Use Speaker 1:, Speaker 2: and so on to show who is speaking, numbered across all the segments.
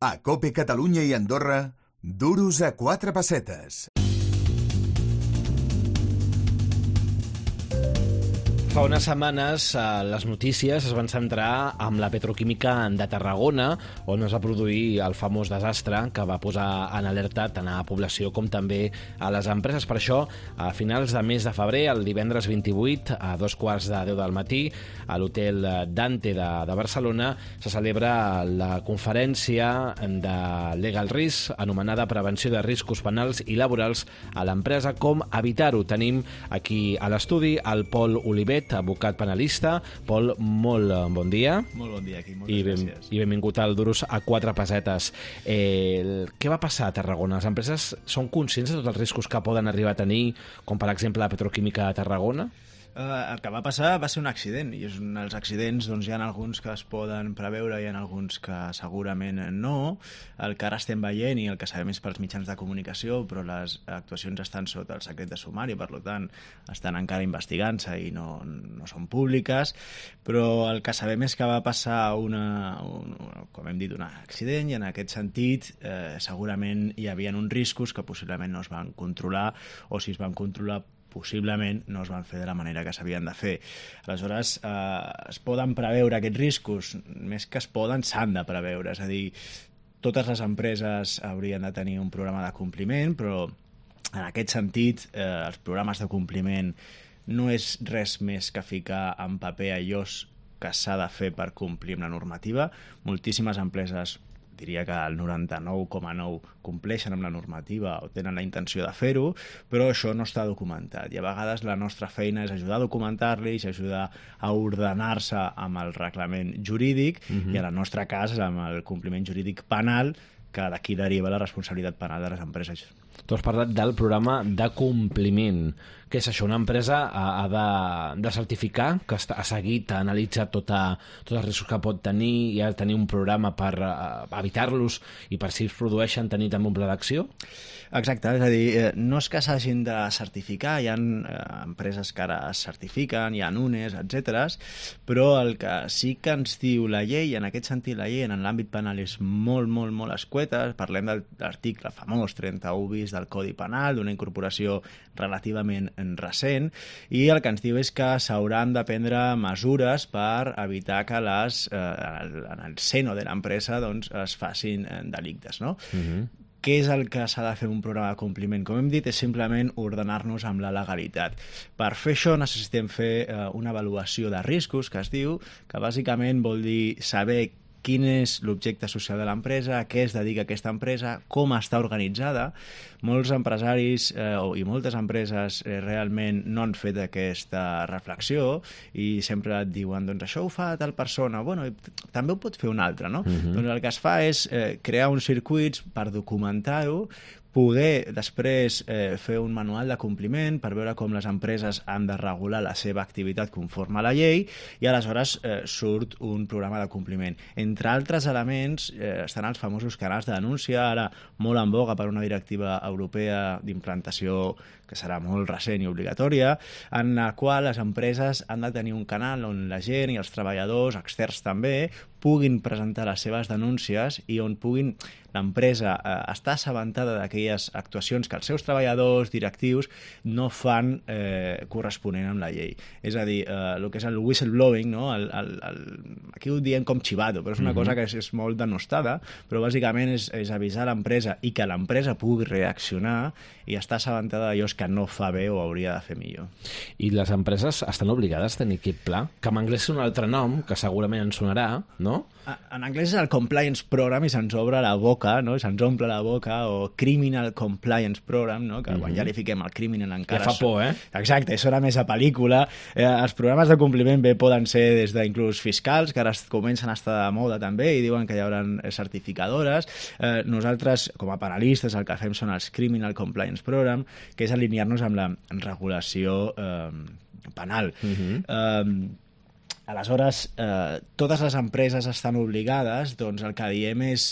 Speaker 1: A COPE Catalunya i Andorra, duros a 4 pessetes.
Speaker 2: Fa unes setmanes les notícies es van centrar amb la petroquímica de Tarragona, on es va produir el famós desastre que va posar en alerta tant a la població com també a les empreses. Per això, a finals de mes de febrer, el divendres 28, a 2:15 del matí, a l'hotel Dante de Barcelona, se celebra la conferència de Legal Risk, anomenada Prevenció de riscos penals i laborals a l'empresa, com evitar-ho. Tenim aquí a l'estudi el Pol Olivet, advocat penalista. Pol, molt bon dia.
Speaker 3: Molt bon dia, aquí, moltes gràcies.
Speaker 2: I benvingut al Duros a 4 pessetes. Què va passar a Tarragona? Les empreses són conscients de tots els riscos que poden arribar a tenir, com per exemple la petroquímica de Tarragona?
Speaker 3: El que va passar va ser un accident, i els accidents hi ha alguns que es poden preveure i hi ha alguns que segurament no. El que ara estem veient i el que sabem és pels mitjans de comunicació, però les actuacions estan sota el secret de sumari, per tant estan encara investigant-se i no són públiques, però el que sabem és que va passar com hem dit, un accident, i en aquest sentit segurament hi havia uns riscos que possiblement no es van controlar, o si es van controlar possiblement no es van fer de la manera que s'havien de fer. Aleshores, es poden preveure aquests riscos, més que es poden, s'han de preveure, és a dir, totes les empreses haurien de tenir un programa de compliment, però en aquest sentit els programes de compliment no és res més que ficar en paper allò que s'ha de fer per complir amb la normativa. Moltíssimes empreses, diria que el 99,9 compleixen amb la normativa o tenen la intenció de fer-ho, però això no està documentat. I a vegades la nostra feina és ajudar a documentar-los, ajudar a ordenar-se amb el reglament jurídic, i en el nostre cas amb el compliment jurídic penal, que d'aquí deriva la responsabilitat penal de les empreses.
Speaker 2: Tu has parlat del programa de compliment. Què és això? Una empresa ha de certificar que ha seguit, ha analitzat tots els riscos que pot tenir i ha de tenir un programa per evitar-los i per si es produeixen tenir també un pla d'acció?
Speaker 3: Exacte, és a dir, no és que s'hagin de certificar, hi ha empreses que ara es certifiquen, hi ha UNES, etc. Però el que sí que ens diu la llei, en aquest sentit la llei en l'àmbit penal és molt, molt, molt escueta. Parlem de l'article famós 31 bis del Codi Penal, d'una incorporació relativament recent, i el que ens diu és que s'hauran de prendre mesures per evitar que en el seno de l'empresa es facin delictes, no? Què és el que s'ha de fer un programa de compliment? Com hem dit, és simplement ordenar-nos amb la legalitat. Per fer això necessitem fer una avaluació de riscos, que es diu, que bàsicament vol dir saber quin és l'objecte social de l'empresa, a què es dedica aquesta empresa, com està organitzada. Molts empresaris i moltes empreses realment no han fet aquesta reflexió i sempre et diuen, doncs això ho fa tal persona, bueno, també ho pot fer un altre, no? Doncs el que es fa és crear uns circuits per documentar-ho, poder després fer un manual de compliment per veure com les empreses han de regular la seva activitat conforme a la llei, i aleshores surt un programa de compliment. Entre altres elements estan els famosos canals de denúncia, ara molt en boga per una directiva europea d'implantació que serà molt recent i obligatòria, en la qual les empreses han de tenir un canal on la gent i els treballadors, externs també, puguin presentar les seves denúncies i on puguin l'empresa estar assabentada d'aquelles actuacions que els seus treballadors, directius, no fan corresponent amb la llei. És a dir, el que és el whistleblowing, no? Aquí ho diem com chivato, però és una cosa que és molt denostada, però bàsicament és avisar l'empresa i que l'empresa pugui reaccionar i estar assabentada d'allò que no fa bé o hauria de fer millor.
Speaker 2: I les empreses estan obligades a tenir aquest pla? Que en anglès és un altre nom, que segurament ens sonarà, no?
Speaker 3: En anglès és el Compliance Program i se'ns obre la boca, no? Se'ns omple la boca, o Criminal Compliance Program, no? Que quan ja li fiquem el criminal encara...
Speaker 2: Ja fa por, eh?
Speaker 3: Exacte, sona més a pel·lícula. Els programes de compliment bé poden ser des d'inclús fiscals, que ara comencen a estar de moda també i diuen que hi haurà certificadores. Nosaltres, com a penalistes, el que fem són els Criminal Compliance Program, que és alinear-nos amb la regulació penal. Aleshores, totes les empreses estan obligades, doncs el que diem és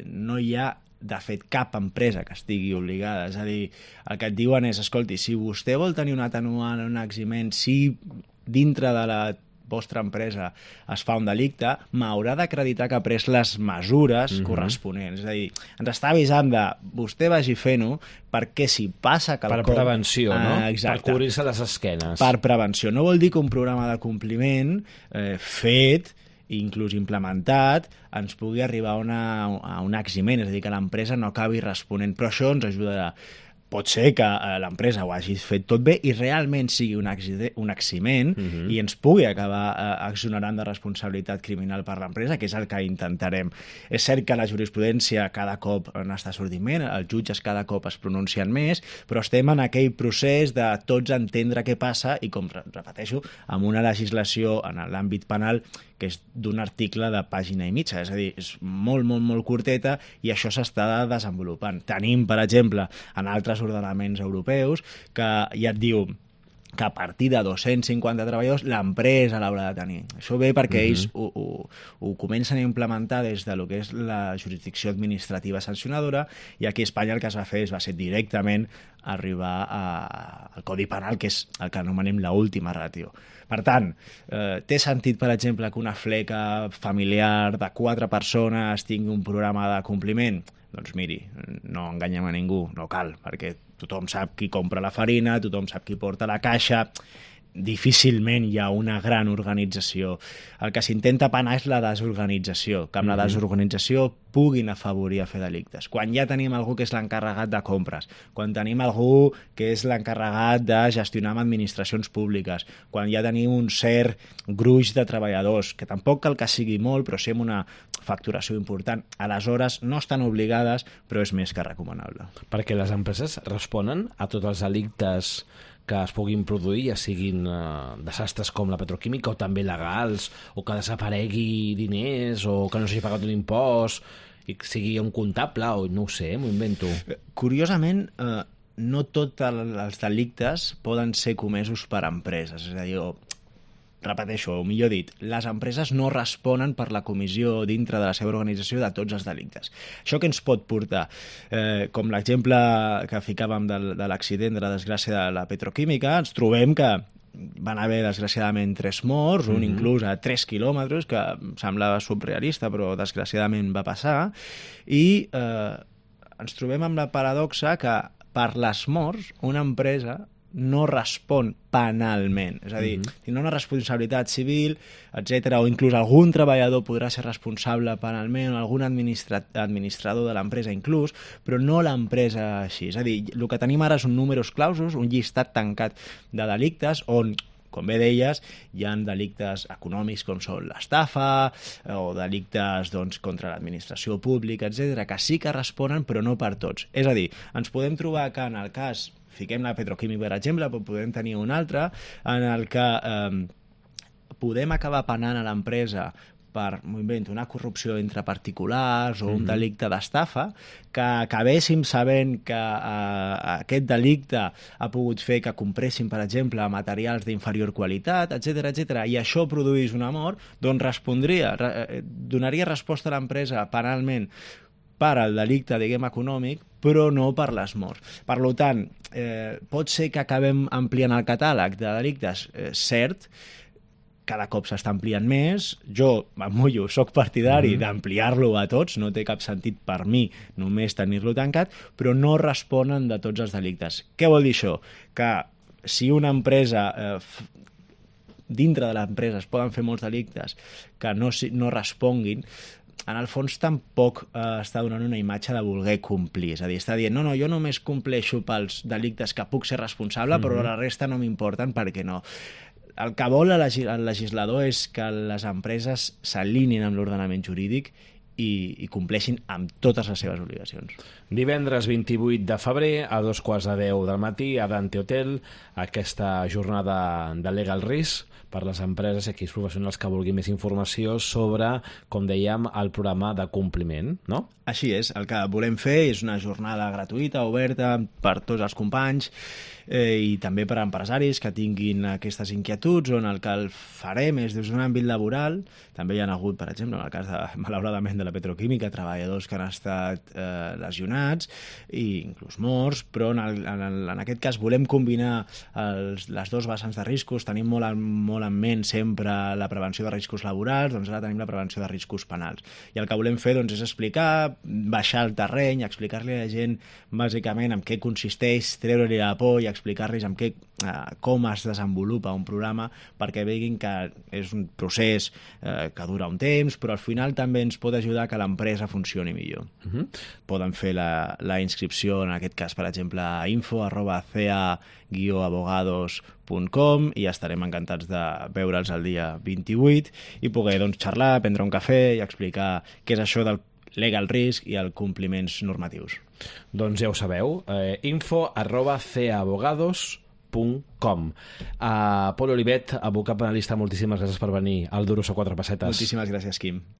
Speaker 3: no hi ha, de fet, cap empresa que estigui obligada. És a dir, el que et diuen és, escolti, si vostè vol tenir un atenuant o un eximent, si dintre de la vostra empresa es fa un delicte, m'haurà d'acreditar que ha pres les mesures corresponents. És a dir, ens està avisant de vostè vagi fent-ho perquè si passa quelcom...
Speaker 2: Per prevenció, no?
Speaker 3: Exacte.
Speaker 2: Per cobrir-se les esquenes.
Speaker 3: Per prevenció. No vol dir que un programa de compliment fet, inclús implementat, ens pugui arribar a un eximent, és a dir, que l'empresa no acabi responent. Però això ens ajudarà. Pot ser que l'empresa ho hagi fet tot bé i realment sigui un eximent i ens pugui acabar exonerant de responsabilitat criminal per l'empresa, que és el que intentarem. És cert que la jurisprudència cada cop n'està sortint més, els jutges cada cop es pronuncien més, però estem en aquell procés de tots entendre què passa i, com repeteixo, amb una legislació en l'àmbit penal que és d'un article de pàgina i mitja, és a dir, és molt, molt, molt curteta i això s'està desenvolupant. Tenim, per exemple, en altres ordenaments europeus que ja et diu que a partir de 250 treballadors l'empresa l'haurà de tenir. Això ve perquè ells ho comencen a implementar des de lo que és la jurisdicció administrativa sancionadora i aquí a Espanya el que es va fer va ser directament arribar al Codi Penal, que és el que anomenem l'última ràtio. Per tant, té sentit, per exemple, que una fleca familiar de 4 persones tingui un programa de compliment? Doncs miri, no enganyem a ningú, no cal, perquè tothom sap qui compra la farina, tothom sap qui porta la caixa, difícilment hi ha una gran organització. El que s'intenta penar és la desorganització, que amb la desorganització puguin afavorir a fer delictes. Quan ja tenim algú que és l'encarregat de compres, quan tenim algú que és l'encarregat de gestionar amb administracions públiques, quan ja tenim un cert gruix de treballadors, que tampoc cal que sigui molt, però sí amb una facturació important, aleshores no estan obligades, però és més que recomanable.
Speaker 2: Perquè les empreses responen a tots els delictes que es puguin produir, ja siguin desastres com la petroquímica o també legals, o que desaparegui diners, o que no s'hagi pagat un impost, i que sigui un comptable, o no ho sé, m'ho invento.
Speaker 3: Curiosament, no tots els delictes poden ser comesos per empreses, és a dir, repeteixo, o millor dit, les empreses no responen per la comissió dintre de la seva organització de tots els delictes. Això que ens pot portar, com l'exemple que ficàvem de l'accident, de la desgràcia de la petroquímica, ens trobem que van haver, desgraciadament, 3 morts, un inclús a 3 quilòmetres, que semblava surrealista, però desgraciadament va passar, i ens trobem amb la paradoxa que per les morts una empresa no respon penalment. És a dir, tindrà una responsabilitat civil, etc. O inclús algun treballador podrà ser responsable penalment, o algun administrador de l'empresa inclús, però no l'empresa així. És a dir, el que tenim ara són números clausos, un llistat tancat de delictes on, com bé deies, hi ha delictes econòmics com són l'estafa o delictes contra l'administració pública, etc., que sí que responen, però no per tots. És a dir, ens podem trobar que en el cas, fiquem la petroquímica, per exemple, però podem tenir un altre, en el que podem acabar penant a l'empresa per, m'ho invento, una corrupció entre particulars o un delicte d'estafa, que acabéssim sabent que aquest delicte ha pogut fer que compressin, per exemple, materials d'inferior qualitat, etc., i això produís una mort, doncs respondria, donaria resposta a l'empresa penalment per al delicte, diguem, econòmic, però no per les morts. Per tant, pot ser que acabem ampliant el catàleg de delictes, cert, cada cop s'està ampliant més, jo em mullo, soc partidari d'ampliar-lo a tots, no té cap sentit per mi només tenir-lo tancat, però no responen de tots els delictes. Què vol dir això? Que si una empresa, dintre de l'empresa es poden fer molts delictes que no responguin, en el fons tampoc està donant una imatge de voler complir. És a dir, està dient, no, jo només compleixo pels delictes que puc ser responsable, però la resta no m'importen perquè no. El que vol el legislador és que les empreses s'alinein amb l'ordenament jurídic i compleixin amb totes les seves obligacions.
Speaker 2: Divendres 28 de febrer a 2:15 del matí a Dante Hotel, aquesta jornada de Legal Risk per les empreses i aquells professionals que vulguin més informació sobre, com dèiem, el programa de compliment, no?
Speaker 3: Així és, el que volem fer és una jornada gratuïta, oberta per tots els companys i també per a empresaris que tinguin aquestes inquietuds, on el que el farem és des d'un àmbit laboral. També hi ha hagut, per exemple, en el cas malauradament de la la petroquímica, treballadors que han estat lesionats i inclús morts, però en aquest cas volem combinar les dos vessants de riscos. Tenim molt en ment sempre la prevenció de riscos laborals, doncs ara tenim la prevenció de riscos penals. I el que volem fer doncs, és explicar, baixar el terreny, explicar-li a la gent bàsicament en què consisteix, treure-li la por i explicar-los com es desenvolupa un programa perquè veguin que és un procés que dura un temps, però al final també ens pot ajudar que l'empresa funcioni millor. Poden fer la inscripció, en aquest cas, per exemple, a info@cea-abogados.com i estarem encantats de veure'ls el dia 28 i poder xerrar, prendre un cafè i explicar què és això del legal risk i els compliments normatius.
Speaker 2: Doncs ja ho sabeu, info@ceaabogados.com. Pol Olivet, abocat penalista, moltíssimes gràcies per venir al Duros a 4 pessetes.
Speaker 3: Moltíssimes gràcies, Quim.